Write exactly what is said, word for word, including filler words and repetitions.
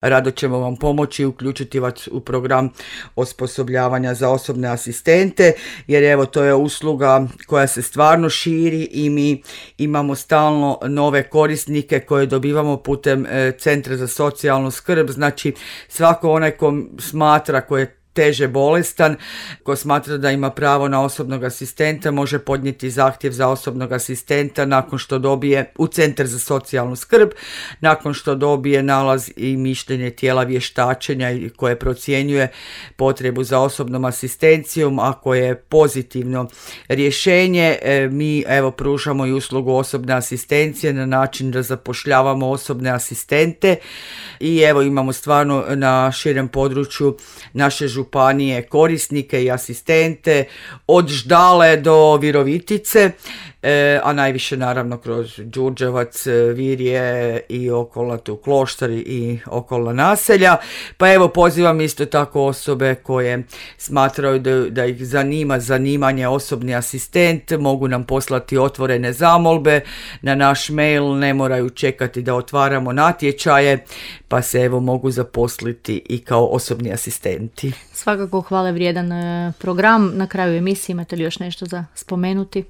Rado ćemo vam pomoći i uključiti vas u program osposobljavanja za osobne asistente, jer evo to je usluga koja se stvarno širi i mi imamo stalno nove korisnike koje dobivamo putem e, Centra za socijalnu skrb. Znači svako onaj ko smatra, ko je teže bolestan, ko smatra da ima pravo na osobnog asistenta, može podnijeti zahtjev za osobnog asistenta nakon što dobije u Centar za socijalnu skrb, nakon što dobije nalaz i mišljenje tijela vještačenja koje procjenjuje potrebu za osobnom asistencijom. Ako je pozitivno rješenje, mi evo pružamo i uslugu osobne asistencije na način da zapošljavamo osobne asistente i evo imamo stvarno na širem području naše županije korisnike i asistente od Ždale do Virovitice, e, a najviše naravno kroz Đurđevac, Virje i okolna tu Kloštar i okolna naselja. Pa evo pozivam isto tako osobe koje smatraju da, da ih zanima zanimanje osobni asistent, mogu nam poslati otvorene zamolbe na naš mail, ne moraju čekati da otvaramo natječaje, pa se evo mogu zaposliti i kao osobni asistenti. Svakako hvale vrijedan program. Na kraju emisije imate li još nešto za spomenuti?